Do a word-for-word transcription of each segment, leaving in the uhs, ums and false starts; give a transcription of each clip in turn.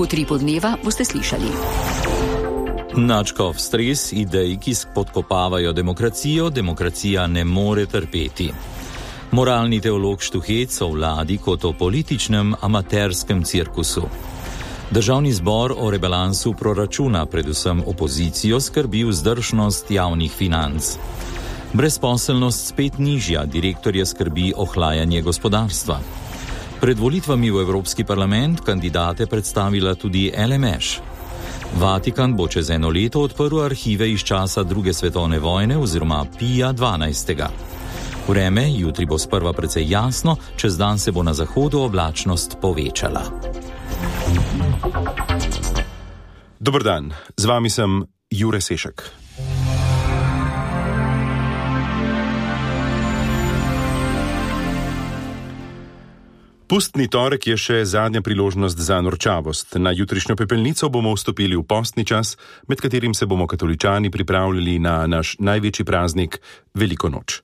Utripu dneva boste slišali. Načkov stres idej, ki spodkopavajo demokracijo, demokracija ne more trpeti. Moralni teolog Štuhec o vladi kot o političnem amaterskem cirkusu. Državni zbor o rebalansu proračuna, predvsem opozicijo, skrbi vzdržnost javnih financ. Brezposelnost spet nižja, direktorje skrbi ohlajanje gospodarstva. Pred volitvami v Evropski parlament kandidate predstavila tudi L M Š. Vatikan bo čez eno leto odprl arhive iz časa druge svetovne vojne oziroma Pija dvanajstega. Vreme jutri bo sprva precej jasno, čez dan se bo na zahodu oblačnost povečala. Dober dan, z vami sem Jure Sešek. Pustni torek je še zadnja priložnost za norčavost. Na jutrišnjo pepelnico bomo vstopili v postni čas, med katerim se bomo katoličani pripravljali na naš največji praznik, Veliko noč.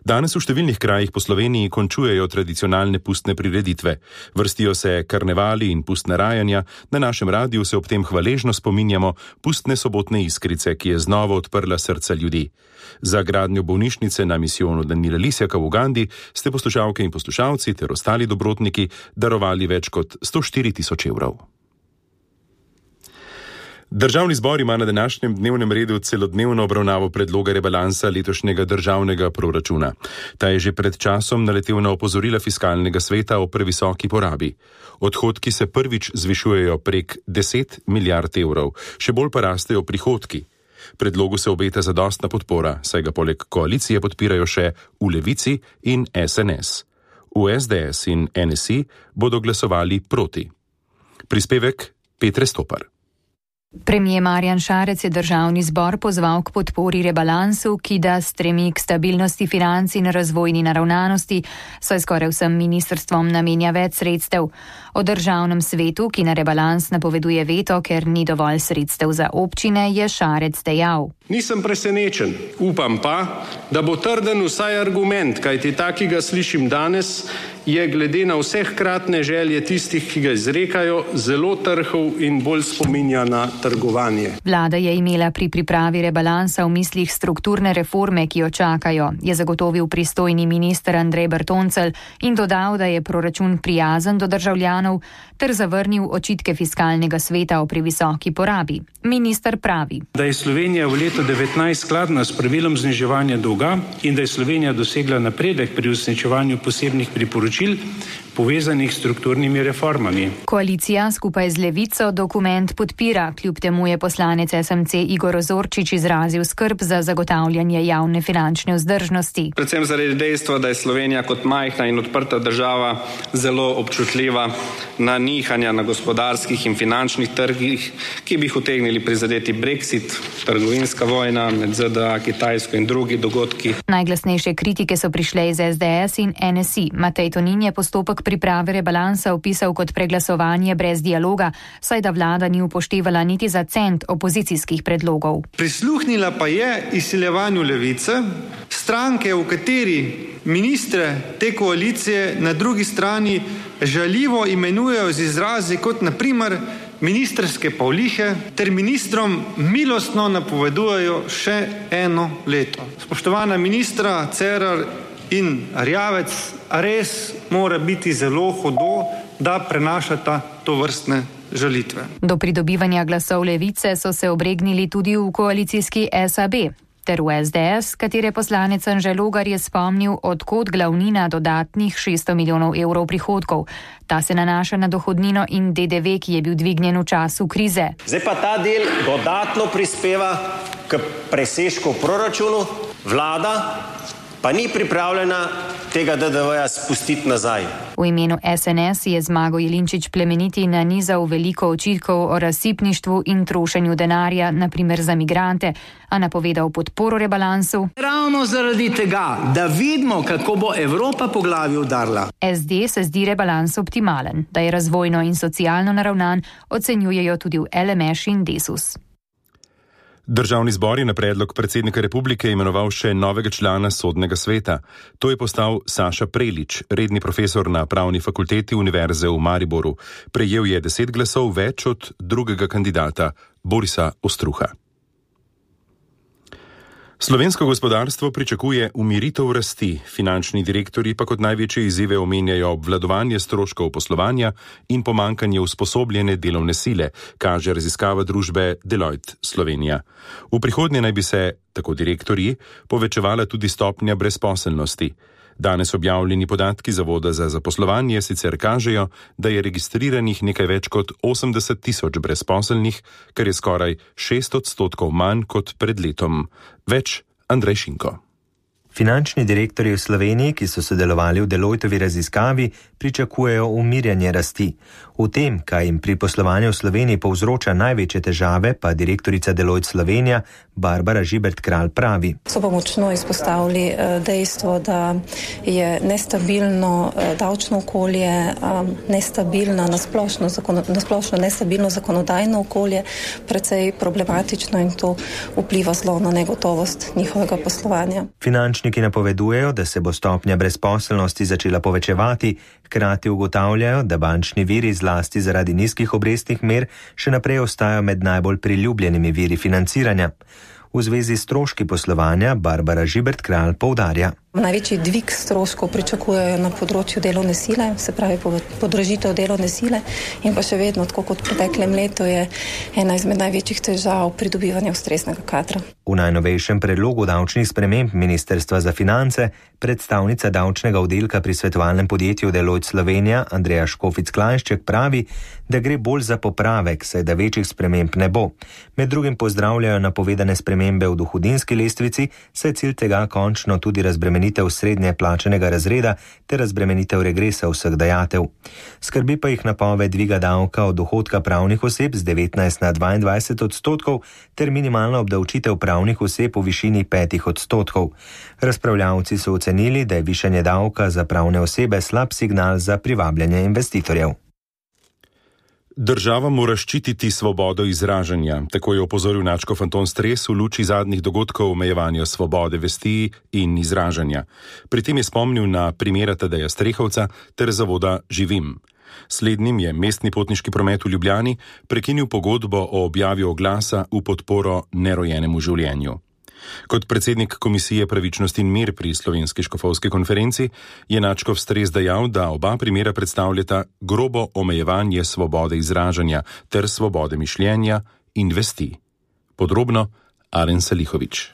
Danes v številnih krajih po Sloveniji končujejo tradicionalne pustne prireditve. Vrstijo se karnevali in pustna rajanja, na našem radiju se ob tem hvaležno spominjamo pustne sobotne iskrice, ki je znova odprla srca ljudi. Za gradnjo bolnišnice na misijonu Danila Lisjaka v Ugandi ste poslušalke in poslušalci ter ostali dobrotniki darovali več kot sto štiri tisoč evrov. Državni zbor ima na današnjem dnevnem redu celodnevno obravnavo predloga rebalansa letošnjega državnega proračuna. Ta je že pred časom naletel na opozorila fiskalnega sveta o previsoki porabi. Odhodki se prvič zvišujejo prek deset milijard evrov, še bolj pa rastejo prihodki. Predlogu se obeta zadostna podpora, saj ga poleg koalicije podpirajo še v Levici in S N S. V S D S in N S I bodo glasovali proti. Prispevek Petre Stopar. Premier Marjan Šarec je državni zbor pozval k podpori rebalansu, ki da stremi k stabilnosti financ in razvojni naravnanosti, saj skoraj vsem ministrstvom namenja več sredstev. O državnem svetu, ki na rebalans napoveduje veto, ker ni dovolj sredstev za občine, je Šarec dejal. Nisem presenečen, upam pa, da bo trden vsaj argument, kajti tak, ki ga slišim danes, je glede na vse hkratne želje tistih, ki ga izrekajo, zelo trhov in bolj spominja na trgovanje. Vlada je imela pri pripravi rebalansa v mislih strukturne reforme, ki jo čakajo, je zagotovil pristojni minister Andrej Bertoncelj in dodal, da je proračun prijazen do državljanov, ter zavrnil očitke fiskalnega sveta o previsoki porabi. Minister pravi, da je Slovenija v letu devetnajst skladna s pravilom zniževanja dolga in da je Slovenija dosegla napredek pri uresničevanju posebnih priporočil povezanih s strukturnimi reformami. Koalicija skupaj z Levico dokument podpira, kljub temu je poslanec S M C Igor Ozorčič izrazil skrb za zagotavljanje javne finančne vzdržnosti. Predvsem zaradi dejstva, da je Slovenija kot majhna in odprta država zelo občutljiva na nihanja na gospodarskih in finančnih trgih, ki bi jih utegnili prizadeti Brexit, trgovinska vojna med Z D A, Kitajsko in drugi dogodki. Najglasnejše kritike so prišle iz S D S in N S I. Matej Tonin je postopek priprave rebalansa opisal kot preglasovanje brez dialoga, saj da vlada ni upoštevala niti za cent opozicijskih predlogov. Prisluhnila pa je izsiljevanju Levice, stranke, v kateri ministre te koalicije na drugi strani žaljivo imenujejo z izrazi kot na primer ministrske pavlihe, ter ministrom milostno napovedujejo še eno leto. Spoštovana ministra Cerar in Erjavec, res mora biti zelo hudo, da prenašata to vrstne žalitve. Do pridobivanja glasov Levice so se obregnili tudi v koalicijski S A B, ter v S D S, katere poslanec Anže Logar je spomnil, odkot glavnina dodatnih šeststo milijonov evrov prihodkov. Ta se nanaša na dohodnino in D D V, ki je bil dvignjen v času krize. Zdaj pa ta del dodatno prispeva k presežku v proračunu, vlada pa ni pripravljena tega D D V-ja spustiti nazaj. V imenu S N S je Zmago Jelinčič Plemeniti nanizal veliko očitkov o razsipništvu in trošenju denarja, na primer za migrante, a napovedal podporo rebalansu. Ravno zaradi tega, da vidimo, kako bo Evropa po glavi udarila. S D se zdi rebalans optimalen, da je razvojno in socialno naravnan, ocenjujejo tudi v L M Š in Desus. Državni zbor je na predlog predsednika republike imenoval še novega člana sodnega sveta. To je postal Saša Prelič, redni profesor na Pravni fakulteti Univerze v Mariboru. Prejel je deset glasov več od drugega kandidata, Borisa Ostruha. Slovensko gospodarstvo pričakuje umiritev rasti, finančni direktorji pa kot največje izzive omenjajo obvladovanje stroškov poslovanja in pomankanje usposobljene delovne sile, kaže raziskava družbe Deloitte Slovenija. V prihodnje naj bi se, tako direktorji, povečevala tudi stopnja brezposelnosti. Danes objavljeni podatki Zavoda za zaposlovanje sicer kažejo, da je registriranih nekaj več kot osemdeset tisoč brezposelnih, kar je skoraj šest odstotkov manj kot pred letom. Več Andrej Šinko. Finančni direktorji v Sloveniji, ki so sodelovali v Deloittovi raziskavi, pričakujejo umirjanje rasti. V tem, kaj jim pri poslovanju v Sloveniji povzroča največje težave, pa direktorica Deloitte Slovenija Barbara Žibert-Kralj pravi. So pa močno izpostavili dejstvo, da je nestabilno davčno okolje, nestabilno, nasplošno, nasplošno nestabilno zakonodajno okolje, precej problematično in to vpliva zelo na negotovost njihovega poslovanja. Finančniki napovedujejo, da se bo stopnja brezposelnosti začela povečevati, hkrati ugotavljajo, da bančni viri zlasti zaradi nizkih obrestnih mer še naprej ostajajo med najbolj priljubljenimi viri financiranja. V zvezi s stroški poslovanja Barbara Žibert-Kralj poudarja. Največji dvig stroškov pričakujejo na področju delovne sile, se pravi podražitev delovne sile in pa še vedno, tako kot v preteklem letu, je ena izmed največjih težav pridobivanja ustreznega kadra. V najnovejšem predlogu davčnih sprememb Ministrstva za finance predstavnica davčnega oddelka pri svetovalnem podjetju Deloitte Slovenija Andreja Škofic-Klajnšček pravi, da gre bolj za popravek, saj da večjih sprememb ne bo. Med drugim pozdravljajo napovedane spremembe v dohodninski lestvici, saj cilj tega končno tudi razbremenitev srednje plačanega razreda ter razbremenitev regresa vseh dajatev. Skrbi pa jih napoved dviga davka od dohodka pravnih oseb z devetnajst na dvaindvajset odstotkov ter minimalna obdavčitev pravnih oseb v višini petih odstotkov. Razpravljavci so ocenili, da je višanje davka za pravne osebe slab signal za privabljanje investitorjev. Država mora ščititi svobodo izražanja, tako je opozoril nadškof Anton Stres v luči zadnjih dogodkov omejevanja svobode vesti in izražanja. Pri tem je spomnil na primera Tadeja Strehovca ter zavoda Živim. Slednjim je mestni potniški promet v Ljubljani prekinil pogodbo o objavi oglasa v podporo nerojenemu življenju. Kot predsednik Komisije Pravičnost in mir pri Slovenski škofovski konferenci je nadškof Stres dejal, da oba primera predstavljata grobo omejevanje svobode izražanja ter svobode mišljenja in vesti. Podrobno Aren Salihović.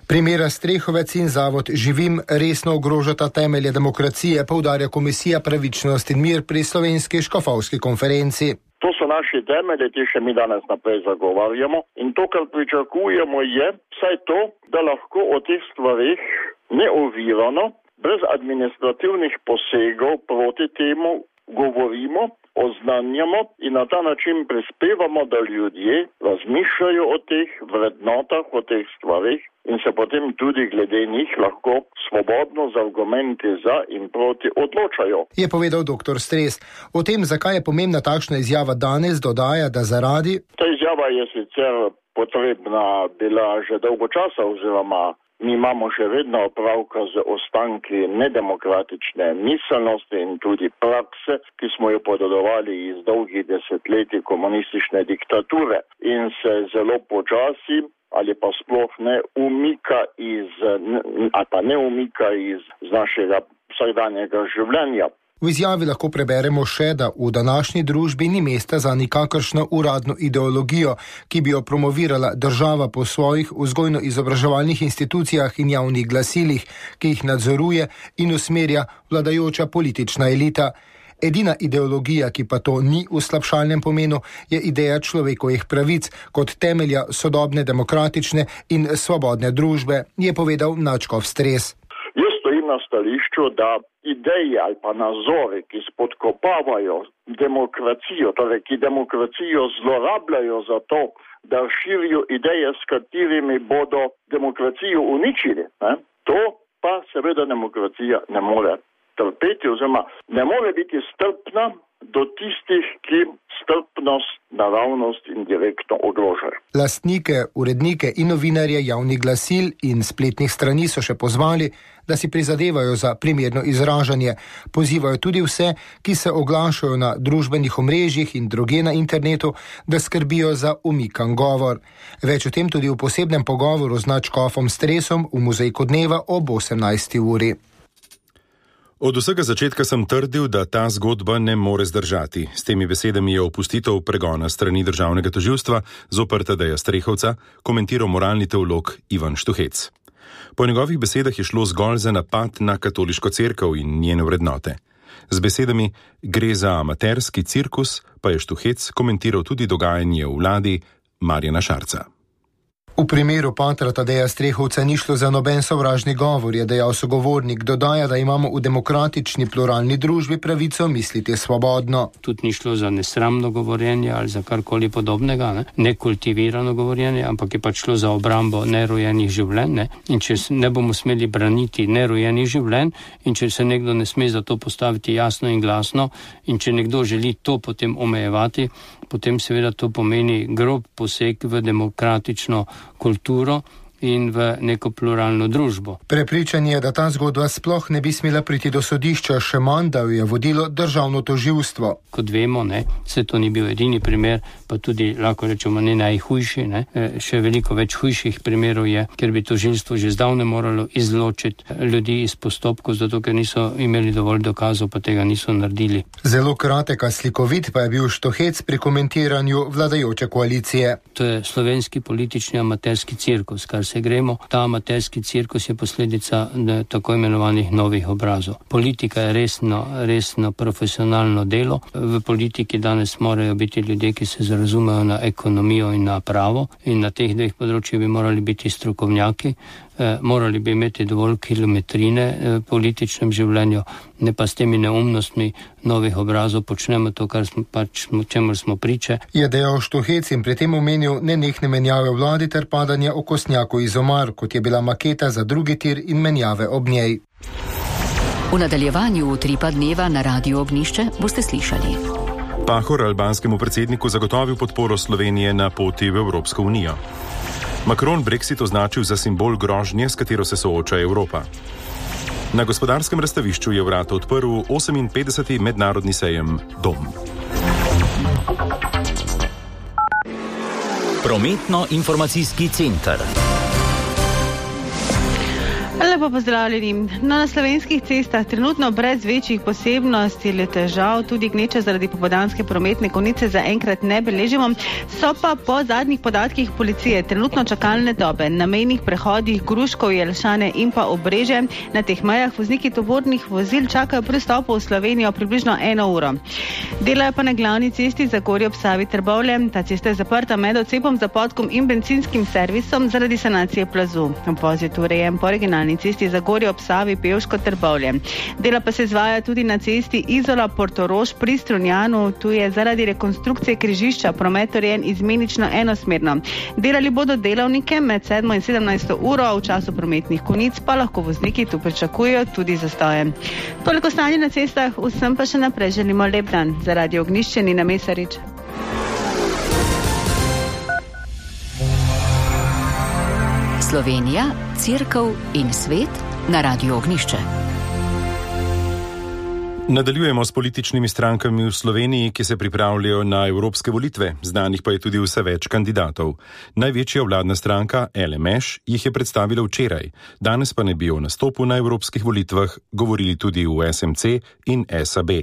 Primera Strehovec in zavod Živim resno ogrožata temelje demokracije, poudarja Komisija Pravičnost in mir pri Slovenski škofovski konferenci. To so naši temelji, ki še mi danes naprej zagovarjamo in to, kar pričakujemo, je vsaj to, da lahko o teh stvarih neovirano, brez administrativnih posegov proti temu govorimo, oznanjamo in na ta način prispevamo, da ljudje razmišljajo o teh vrednotah, o teh stvarih in se potem tudi glede njih lahko svobodno z argumenti za in proti odločajo. Je povedal doktor Stres. O tem, zakaj je pomembna takšna izjava danes, dodaja, da zaradi... Ta izjava je sicer potrebna bila že dolgo časa oziroma mi imamo še vedno opravka z ostanki nedemokratične miselnosti in tudi prakse, ki smo jo podedovali iz dolgih desetletij komunistične diktature in se zelo počasi ali pa sploh ne umika iz, ali pa ne umika iz našega vsakdanjega življenja. V izjavi lahko preberemo še, da v današnji družbi ni mesta za nikakršno uradno ideologijo, ki bi jo promovirala država po svojih vzgojno-izobraževalnih institucijah in javnih glasilih, ki jih nadzoruje in usmerja vladajoča politična elita. Edina ideologija, ki pa to ni v slabšalnem pomenu, je ideja človekovih pravic kot temelja sodobne demokratične in svobodne družbe, je povedal nadškof Stres. Jaz stojim na stališču, da ideje ali pa nazori, ki spodkopavajo demokracijo, torej ki demokracijo zlorabljajo za to, da širijo ideje, s katerimi bodo demokracijo uničili, ne? To pa seveda demokracija ne more trpeti oziroma ne more biti strpna do tistih, ki strpnost, naravnost in direktno ogrožajo. Lastnike, urednike in novinarje javnih glasil in spletnih strani so še pozvali, da si prizadevajo za primerno izražanje. Pozivajo tudi vse, ki se oglašajo na družbenih omrežjih in drugje na internetu, da skrbijo za umikan govor. Več o tem tudi v posebnem pogovoru z nadškofom Stresom v Muzejku dneva ob osemnajsti uri. Od vsega začetka sem trdil, da ta zgodba ne more zdržati. S temi besedami je opustitev pregona strani državnega tožilstva zoper Tadeja Strehovca komentiral moralni teolog Ivan Štuhec. Po njegovih besedah je šlo zgolj za napad na katoliško cerkev in njene vrednote. Z besedami gre za amaterski cirkus, pa je Štuhec komentiral tudi dogajanje v vladi Marjana Šarca. V primeru patra Tadeja Strehovca ni šlo za noben sovražni govor, je dejal sogovornik. Dodaja, da imamo v demokratični pluralni družbi pravico misliti svobodno. Tudi ni šlo za nesramno govorjenje ali za karkoli podobnega, ne? Nekultivirano govorjenje, ampak je pač šlo za obrambo nerojenih življenj. Ne? In če ne bomo smeli braniti nerojenih življenj in če se nekdo ne sme za to postaviti jasno in glasno in če nekdo želi to potem omejevati, potem seveda to pomeni grob poseg v demokratično kulturo in v neko pluralno družbo. Prepričan je, da ta zgodba sploh ne bi smela priti do sodišča, še manj, da jo je vodilo državno tožilstvo. Kot vemo, ne, se to ni bil edini primer, pa tudi lahko rečemo ne najhujši, ne. Še veliko več hujših primerov je, ker bi tožilstvo že zdavne moralo izločiti ljudi iz postopkov, zato ker niso imeli dovolj dokazov, pa tega niso naredili. Zelo kratek a slikovit pa je bil Štuhec pri komentiranju vladajoče koalicije. To je slovenski politični amaterski cirkus, kar se gremo. Ta amaterski cirkus je posledica ne, tako imenovanih novih obrazov. Politika je resno, resno profesionalno delo. V politiki danes morajo biti ljudje, ki se zarazumejo na ekonomijo in na pravo in na teh dveh področjih bi morali biti strokovnjaki. Eh, morali bi imeti dovolj kilometrine v eh, političnem življenju, ne pa s temi neumnostmi novih obrazov počnemo to, kar smo pač, čemu smo priče. Je dejal Štuhec in pri tem omenil nenehne menjave vladi ter padanje okostnjakov iz omar, kot je bila maketa za drugi tir in menjave ob njej. V nadaljevanju utripa dneva na Radiu Ognjišče boste slišali. Pahor albanskemu predsedniku zagotovil podporo Slovenije na poti v Evropsko unijo. Macron Brexit označil za simbol grožnje, s katero se sooča Evropa. Na gospodarskem razstavišču je vrata odprl oseminpetdeseti mednarodni sejem Dom. Prometno-informacijski center. Lepo pozdravljeni. Na slovenskih cestah trenutno brez večjih posebnosti ali težav, tudi gneča zaradi popoldanske prometne konice zaenkrat ne beležimo. So pa po zadnjih podatkih policije trenutno čakalne dobe na mejnih prehodih Gruškov, Jelšane in pa Obrežje. Na teh mejah vozniki tovornih vozil čakajo pri vstopu v Slovenijo približno eno uro. Delajo pa na glavni cesti Zagorje ob Savi Trbovlje. Ta cesta je zaprta med odcepom Zapodkom in benzinskim servisom zaradi sanacije plazu. Vozit urejen po originalni cesti Zagorje ob Savi Pevško Trbovlje. Dela pa se izvaja tudi na cesti Izola Portorož pri Strunjanu. Tu je zaradi rekonstrukcije križišča promet urejen izmenično enosmerno. Delali bodo delavnike med sedmo in sedemnajsto uro, v času prometnih konic pa lahko vozniki tu pričakujejo tudi zastoje. Toliko stanje na cestah, vsem pa še naprej želimo lep dan. Za Radio Ognjišče Nina Mesarič. Slovenija, cerkev in svet na Radiu Ognjišče. Nadaljujemo s političnimi strankami v Sloveniji, ki se pripravljajo na evropske volitve. Znanih pa je tudi vse več kandidatov. Največja vladna stranka L M Š jih je predstavila včeraj. Danes pa ne bi o nastopu na evropskih volitvah govorili tudi v S M C in S A B.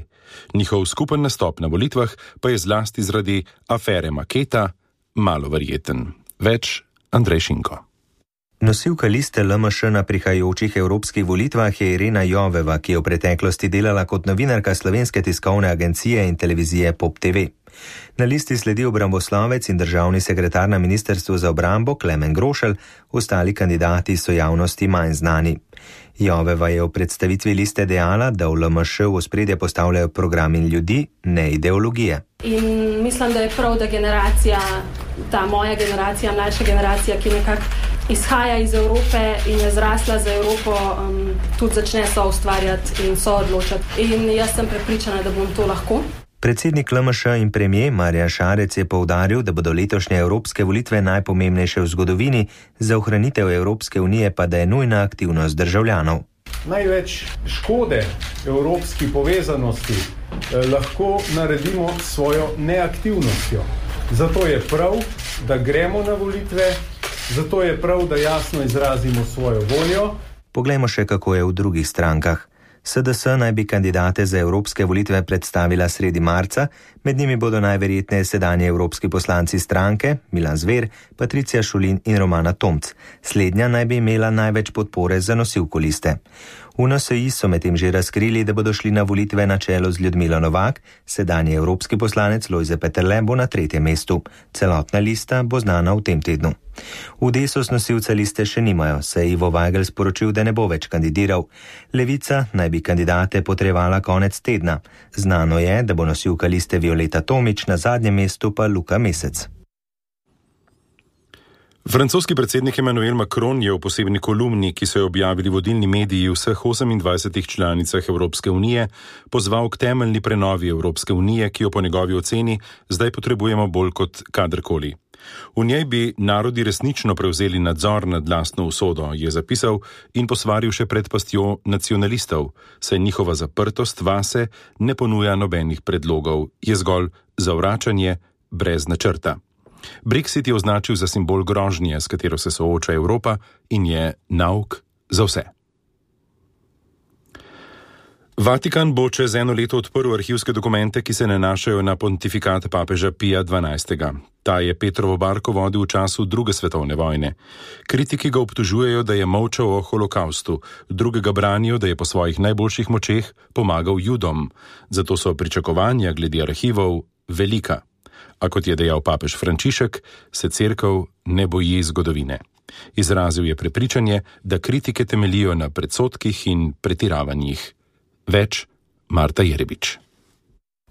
Njihov skupen nastop na volitvah pa je zlasti zaradi afere Maketa malo verjeten. Več Andrej Šinko. Nosilka liste L M Š na prihajajočih evropskih volitvah je Irena Joveva, ki je v preteklosti delala kot novinarka Slovenske tiskovne agencije in televizije Pop T V. Na listi sledi obramboslovec in državni sekretar na Ministrstvu za obrambo Klemen Grošelj, ostali kandidati so javnosti manj znani. Joveva je v predstavitvi liste dejala, da v L M Š v ospredje postavljajo program in ljudi, ne ideologije. In mislim, da je prav, da generacija, ta moja generacija, mlajša generacija, ki nekako izhaja iz Evrope in je zrasla za Evropo, um, tudi začne so ustvarjati in so odločati. In jaz sem prepričana, da bom to lahko. Predsednik L M Š in premijer Marjan Šarec je poudaril, da bodo letošnje evropske volitve najpomembnejše v zgodovini, za ohranitev Evropske unije pa da je nujna aktivnost državljanov. Največ škode evropski povezanosti eh, lahko naredimo s svojo neaktivnostjo. Zato je prav, da gremo na volitve, zato je prav, da jasno izrazimo svojo voljo. Poglejmo še, kako je v drugih strankah. S D S naj bi kandidate za evropske volitve predstavila sredi marca, med njimi bodo najverjetneje sedanji evropski poslanci stranke, Milan Zver, Patricija Šulin in Romana Tomc. Slednja naj bi imela največ podpore za nosilko liste. V N S I so medtem že razkrili, da bodo šli na volitve na čelo z Ljudmilo Novak, sedanji evropski poslanec Lojze Peterle bo na tretjem mestu. Celotna lista bo znana v tem tednu. V Desus nosilca liste še nimajo, saj je Ivo Vajgl sporočil, da ne bo več kandidiral. Levica naj bi kandidate potrebovala konec tedna. Znano je, da bo nosilka liste Violeta Tomić, na zadnjem mestu pa Luka Mesec. Francoski predsednik Emmanuel Macron je v posebni kolumni, ki so jo objavili vodilni mediji v vseh osemindvajsetih članicah Evropske unije, pozval k temeljni prenovi Evropske unije, ki jo po njegovi oceni zdaj potrebujemo bolj kot kadarkoli. V njej bi narodi resnično prevzeli nadzor nad lastno usodo, je zapisal in posvaril še pred pastjo nacionalistov, saj njihova zaprtost vase ne ponuja nobenih predlogov, je zgolj zavračanje brez načrta. Brexit je označil za simbol grožnje, s katero se sooča Evropa in je nauk za vse. Vatikan bo čez eno leto odprl arhivske dokumente, ki se nanašajo na pontifikat papeža Pija dvanajstega. Ta je Petrovo barko vodil v času druge svetovne vojne. Kritiki ga obtožujejo, da je molčal o holokaustu, drugega branijo, da je po svojih najboljših močeh pomagal Judom. Zato so pričakovanja glede arhivov velika. A kot je dejal papež Frančišek, se cerkev ne boji zgodovine. Izrazil je prepričanje, da kritike temeljijo na predsodkih in pretiravanjih. Več Marta Jerebič.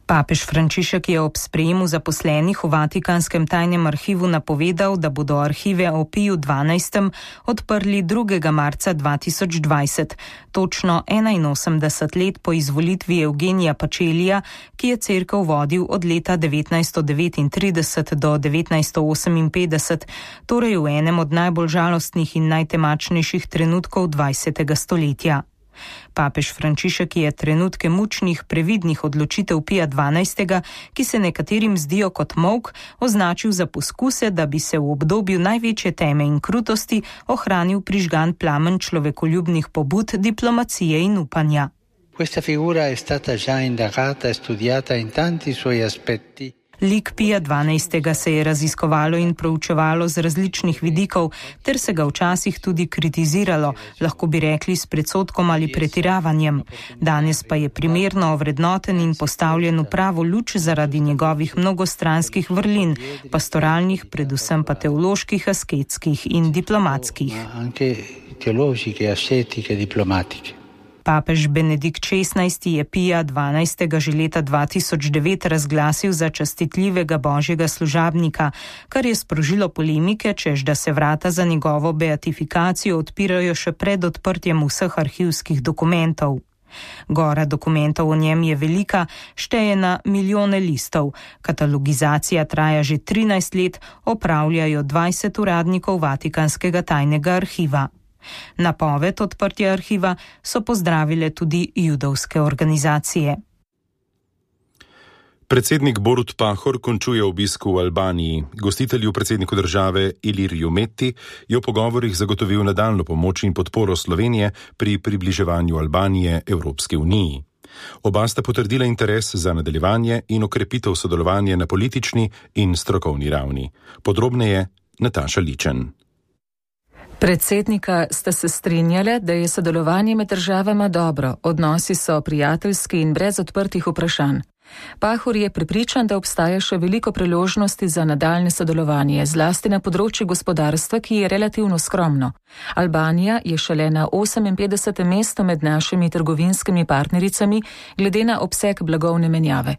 Papež Frančišek je ob sprejemu zaposlenih v Vatikanskem tajnem arhivu napovedal, da bodo arhive o Piju dvanajstem odprli drugega marca dva tisoč dvajset, točno enainosemdeset let po izvolitvi Eugenija Pačelija, ki je cerkev vodil od leta devetnajststo devetintrideset do devetnajststo oseminpetdeset, torej v enem od najbolj žalostnih in najtemačnejših trenutkov dvajsetega stoletja. Papež Frančišek je trenutke mučnih, previdnih odločitev Pija dvanajstega, ki se nekaterim zdijo kot molk, označil za poskuse, da bi se v obdobju največje teme in krutosti ohranil prižgan plamen človekoljubnih pobud, diplomacije in upanja. Questa figura è stata già indagata e studiata in tanti suoi aspetti. Lik Pija dvanajstega se je raziskovalo in proučevalo z različnih vidikov, ter se ga včasih tudi kritiziralo, lahko bi rekli s predsodkom ali pretiravanjem. Danes pa je primerno ovrednoten in postavljen v pravo luč zaradi njegovih mnogostranskih vrlin, pastoralnih, predvsem pa teoloških, asketskih in diplomatskih. Anche teološke, ascetiche, diplomatike. Papež Benedikt šestnajsti je Pija dvanajstega že leta dva tisoč devet razglasil za častitljivega božjega služabnika, kar je sprožilo polemike, čež da se vrata za njegovo beatifikacijo odpirajo še pred odprtjem vseh arhivskih dokumentov. Gora dokumentov o njem je velika, šteje na milijone listov. Katalogizacija traja že trinajst let, opravljajo dvajset uradnikov Vatikanskega tajnega arhiva. Napoved odprtja arhiva so pozdravile tudi judovske organizacije. Predsednik Borut Pahor končuje obisk v Albaniji. Gostitelju predsedniku države Iliriju Meti je v pogovorih zagotovil nadaljnjo pomoč in podporo Slovenije pri približevanju Albanije Evropski uniji. Oba sta potrdila interes za nadaljevanje in okrepitev sodelovanja na politični in strokovni ravni. Podrobneje Nataša Ličen. Predsednika sta se strinjale, da je sodelovanje med državama dobro, odnosi so prijateljski in brez odprtih vprašanj. Pahor je prepričan, da obstaja še veliko priložnosti za nadaljne sodelovanje, zlasti na področju gospodarstva, ki je relativno skromno. Albanija je šele na oseminpetdesetem mestu med našimi trgovinskimi partnericami glede na obseg blagovne menjave.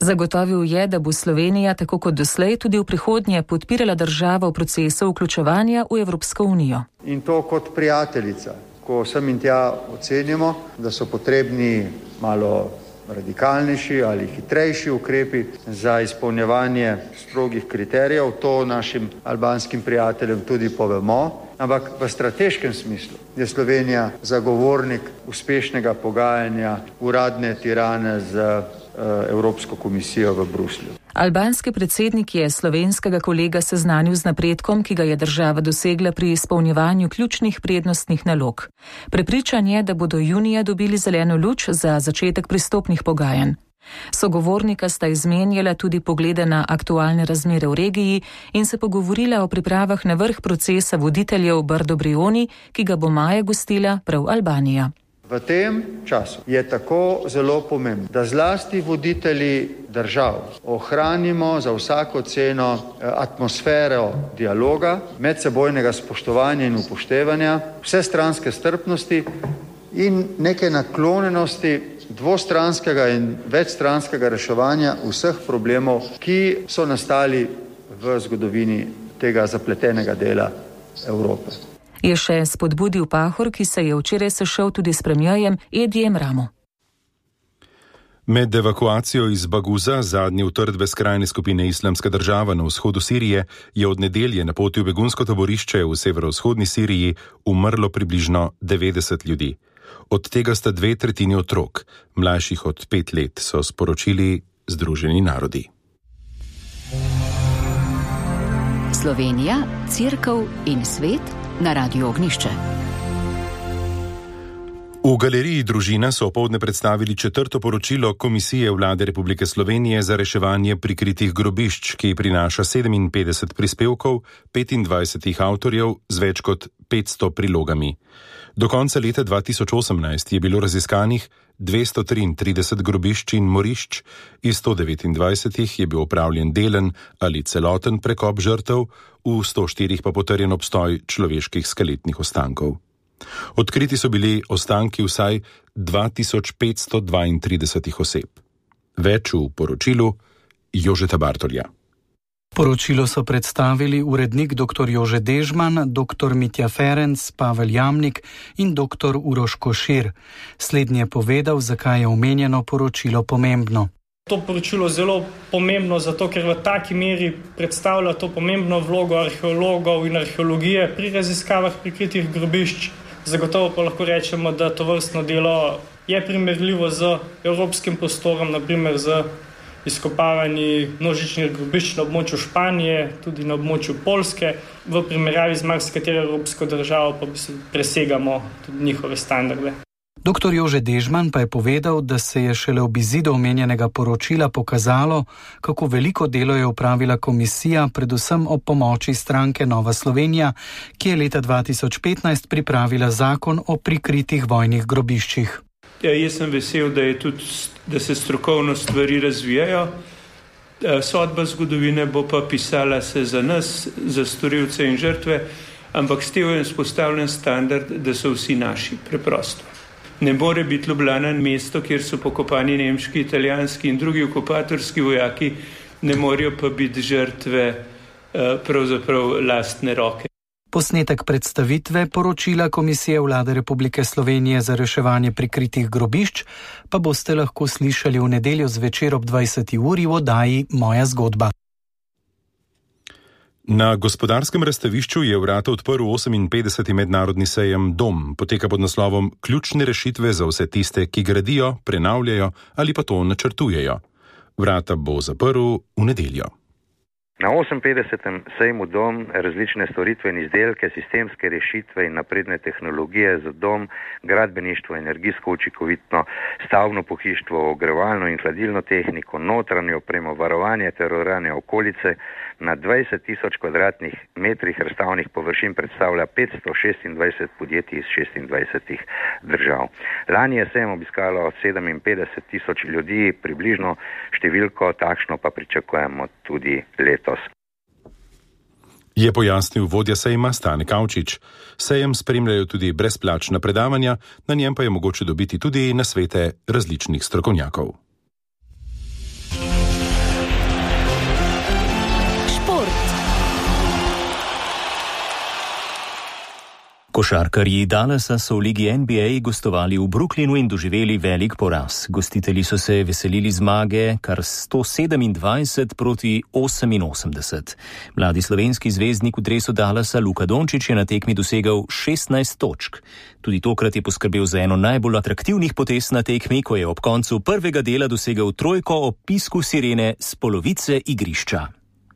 Zagotovil je, da bo Slovenija tako kot doslej tudi v prihodnje podpirala državo v procesu vključevanja v Evropsko unijo. In to kot prijateljica, ko sem in tja ocenimo, da so potrebni malo radikalnejši ali hitrejši ukrepi za izpolnjevanje strogih kriterijev. To našim albanskim prijateljem tudi povemo. Ampak v strateškem smislu je Slovenija zagovornik uspešnega pogajanja uradne Tirane z Evropsko komisijo v Bruslju. Albanski predsednik je slovenskega kolega seznanil z napredkom, ki ga je država dosegla pri izpolnjevanju ključnih prednostnih nalog. Prepričan je, da bodo junija dobili zeleno luč za začetek pristopnih pogajanj. Sogovornika sta izmenjala tudi poglede na aktualne razmere v regiji in se pogovorila o pripravah na vrh procesa voditeljev Brdo-Brioni, ki ga bo maja gostila prav Albanija. V tem času je tako zelo pomembno, da zlasti voditelji držav ohranimo za vsako ceno atmosfero dialoga, medsebojnega spoštovanja in upoštevanja, vsestranske strpnosti in neke naklonjenosti dvostranskega in večstranskega reševanja vseh problemov, ki so nastali v zgodovini tega zapletenega dela Evrope. Je še spodbudil Pahor, ki se je včeraj sešel tudi s premierjem Edijem Ramo. Med evakuacijo iz Baguza, zadnje utrdbe skrajne skupine Islamska država na vzhodu Sirije, je od nedelje na poti v begunsko taborišče v severovzhodni Siriji umrlo približno devetdeset ljudi. Od tega sta dve tretjini otrok, mlajših od pet let, so sporočili Združeni narodi. Slovenija, Cerkev in svet na Radiu Ognjišče. V galeriji Družina so opoldne predstavili četrto poročilo Komisije Vlade Republike Slovenije za reševanje prikritih grobišč, ki prinaša sedeminpetdeset prispevkov, petindvajset avtorjev z več kot petsto prilogami. Do konca leta dva tisoč osemnajst je bilo raziskanih dvesto triintrideset grobišč in morišč, iz sto devetindvajsetih je bil opravljen delen ali celoten prekop žrtev, v sto štirih pa potrjen obstoj človeških skeletnih ostankov. Odkriti so bili ostanki vsaj dva tisoč petsto dvaintrideset oseb. Več v poročilu Jožeta Bartolja. Poročilo so predstavili urednik dr. Jože Dežman, dr. Mitja Ferenc, Pavel Jamnik in dr. Uroš Košir. Slednji je povedal, zakaj je omenjeno poročilo pomembno. To poročilo je zelo pomembno, zato ker v taki meri predstavlja to pomembno vlogo arheologov in arheologije pri raziskavah prikritih grobišč. Zagotovo pa lahko rečemo, da to vrstno delo je primerljivo z evropskim prostorom, naprimer z izkopavanji množičnih grobišč na območju Španije, tudi na območju Poljske. V primerjavi z marsikatero evropsko državo pa presegamo tudi njihove standarde. Doktor Jože Dežman pa je povedal, da se je šele ob izidu omenjenega poročila pokazalo, kako veliko delo je opravila komisija, predvsem ob pomoči stranke Nova Slovenija, ki je leta dva tisoč petnajst pripravila zakon o prikritih vojnih grobiščih. Ja, jaz sem vesel, da, je tudi, da se strokovno stvari razvijajo. Sodba zgodovine bo pa pisala se za nas, za storilce in žrtve, ampak s tem je vzpostavljen standard, da so vsi naši, preprosto. Ne more biti Ljubljana mesto, kjer so pokopani nemški, italijanski in drugi okupatorski vojaki, ne morejo pa biti žrtve pravzaprav lastne roke. Posnetek predstavitve poročila Komisije Vlade Republike Slovenije za reševanje prikritih grobišč pa boste lahko slišali v nedeljo zvečer ob dvajseti uri v oddaji Moja zgodba. Na gospodarskem razstavišču je vrata odprl oseminpetdeseti mednarodni sejem Dom. Poteka pod naslovom Ključne rešitve za vse tiste, ki gradijo, prenavljajo ali pa to načrtujejo. Vrata bo zaprl v nedeljo. Na oseminpetdesetem sejmu Dom različne storitve in izdelke, sistemske rešitve in napredne tehnologije za dom, gradbeništvo, energijsko učinkovitno stavbno pohištvo, ogrevalno in hladilno tehniko, notranjo opremo, varovanje ter urejanje okolice na dvajset tisoč kvadratnih metrih razstavnih površin predstavlja petsto šestindvajset podjetij iz šestindvajsetih držav. Lani je sejem obiskalo sedeminpetdeset tisoč ljudi, približno številko takšno pa pričakujemo tudi letos. Je pojasnil vodja sejma Stane Kavčič. Sejem spremljajo tudi brezplačna predavanja, na njem pa je mogoče dobiti tudi nasvete različnih strokovnjakov. Košarkarji Dallasa so v ligi N B A gostovali v Brooklynu in doživeli velik poraz. Gostitelji so se veselili zmage kar sto sedemindvajset proti oseminosemdeset. Mladi slovenski zvezdnik v dresu Dallasa Luka Dončić je na tekmi dosegel šestnajst točk. Tudi tokrat je poskrbel za eno najbolj atraktivnih potez na tekmi, ko je ob koncu prvega dela dosegel trojko ob pisku sirene s polovice igrišča.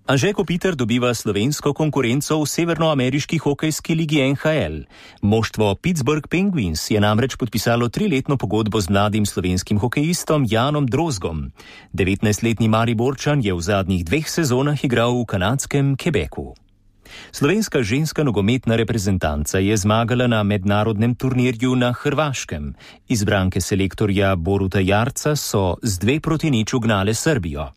Anže Kopitar dobiva slovensko konkurenco v severnoameriški hokejski ligi N H L. Moštvo Pittsburgh Penguins je namreč podpisalo triletno pogodbo z mladim slovenskim hokejistom Janom Drozgom. devetnajstletni Mariborčan je v zadnjih dveh sezonah igral v kanadskem Quebecu. Slovenska ženska nogometna reprezentanca je zmagala na mednarodnem turnirju na Hrvaškem. Izbranke selektorja Boruta Jarca so z dve proti nič ugnale Srbijo.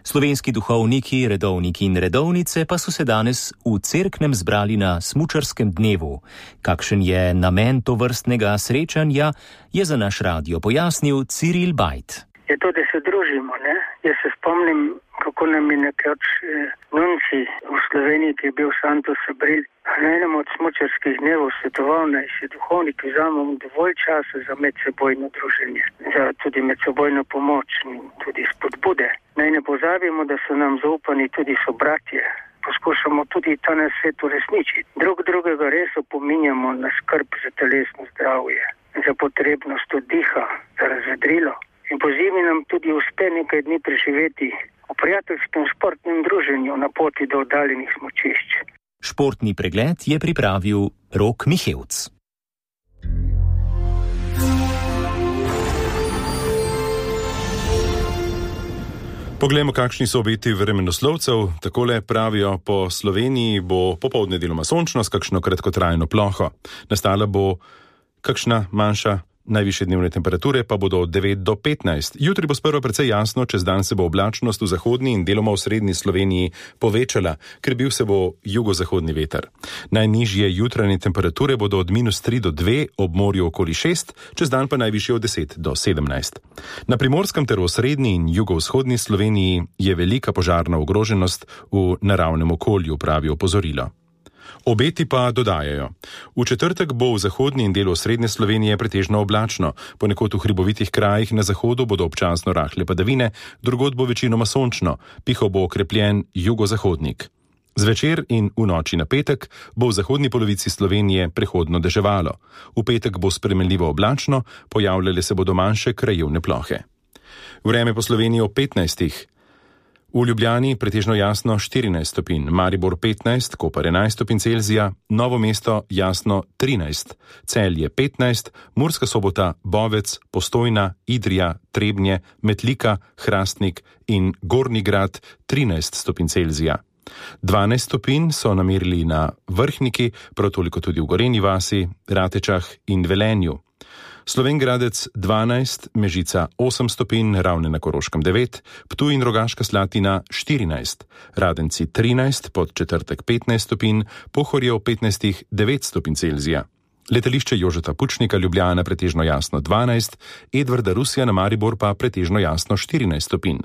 Slovenski duhovniki, redovniki in redovnice pa so se danes v Cerknem zbrali na smučarskem dnevu. Kakšen je namen tovrstnega srečanja, je za naš radio pojasnil Ciril Bajt. Je to, da se družimo, ne? Jaz se spomnim, kako nam je nekoč eh, nunci v Sloveniji, ki je bil Santos Abril, na enem od smučarskih dnevov svetoval, naj si duhovniki vzamemo dovolj časa za medsebojno druženje, za tudi medsebojno pomoč in tudi spodbude. Naj ne pozabimo, da so nam zaupani tudi sobratje. Poskušamo tudi ta na svet uresničiti. Drug drugega res opominjamo na skrb za telesno zdravje, za potrebnost oddiha, za razvedrilo. In po zimi nam tudi uspe nekaj dni preživeti v prijateljskem športnem druženju na poti do oddaljenih smučišč. Športni pregled je pripravil Rok Mihevc. Poglejmo, kakšni so obeti vremenoslovcev. Takole pravijo, po Sloveniji bo popoldne deloma sončno s kakšno kratkotrajno ploho. Nastala bo kakšna manjša. Najvišje dnevne temperature pa bodo od devet do petnajst. Jutri bo sprva precej jasno, čez dan se bo oblačnost v zahodni in deloma v srednji Sloveniji povečala, ker bil se bo jugozahodni veter. Najnižje jutranje temperature bodo od minus tri do dve, ob morju okoli šest, čez dan pa najvišje od deset do sedemnajst. Na Primorskem ter v srednji in jugovzhodni Sloveniji je velika požarna ogroženost v naravnem okolju, pravi opozorilo. Obeti pa dodajajo. V četrtek bo v zahodni in delu srednje Slovenije pretežno oblačno, ponekod v hribovitih krajih na zahodu bodo občasno rahle padavine, drugod bo večinoma sončno, pihal bo okrepljen jugozahodnik. Zvečer in v noči na petek bo v zahodni polovici Slovenije prehodno deževalo. V petek bo spremenljivo oblačno, pojavljale se bodo manjše krajevne plohe. Vreme po Sloveniji ob petnajstih. V Ljubljani pretežno jasno štirinajst stopinj, Maribor petnajst, Koper enajst stopinj Celzija, Novo mesto jasno trinajst, Celje petnajst, Murska Sobota, Bovec, Postojna, Idrija, Trebnje, Metlika, Hrastnik in Gornji Grad trinajst stopinj Celzija. dvanajst stopinj so namerili na Vrhniki, prav toliko tudi v Gorenji vasi, Ratečah in Velenju. Slovenj Gradec dvanajst, Mežica osem stopinj, Ravne na Koroškem devet, Ptuj in Rogaška Slatina štirinajst, Radenci trinajst, Podčetrtek petnajst stopinj, Pohorje v petnajstih devet stopinj Celzija. Letališče Jožeta Pučnika Ljubljana pretežno jasno dvanajst, Edvarda Rusija na Maribor pa pretežno jasno štirinajst stopinj.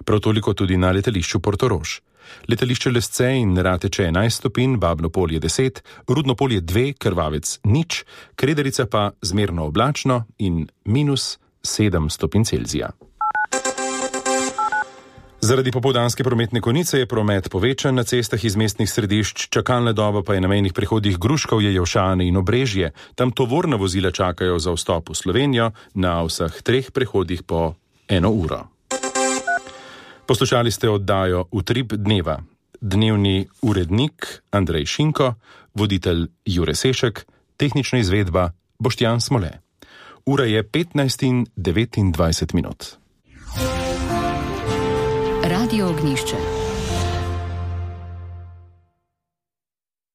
Prav toliko tudi na letališču Portorož. Letališče Lesce in Rateče enajst stopinj, Babno Polje deset, Rudno Polje dve, Krvavec nič, Krederica pa zmerno oblačno in minus sedem stopinj Celzija. Zaradi popoldanske prometne konice je promet povečan na cestah iz mestnih središč, čakalna doba pa je na mejnih prehodih Gruškovje, Jelšane in Obrežje. Tam tovorna vozila čakajo za vstop v Slovenijo na vseh treh prehodih po eno uro. Poslušali ste oddajo Utrip dneva. Dnevni urednik Andrej Šinko, voditelj Jure Sešek, tehnična izvedba Boštjan Smole. Ura je petnajst in devetindvajset minut. Radio Ognjišče.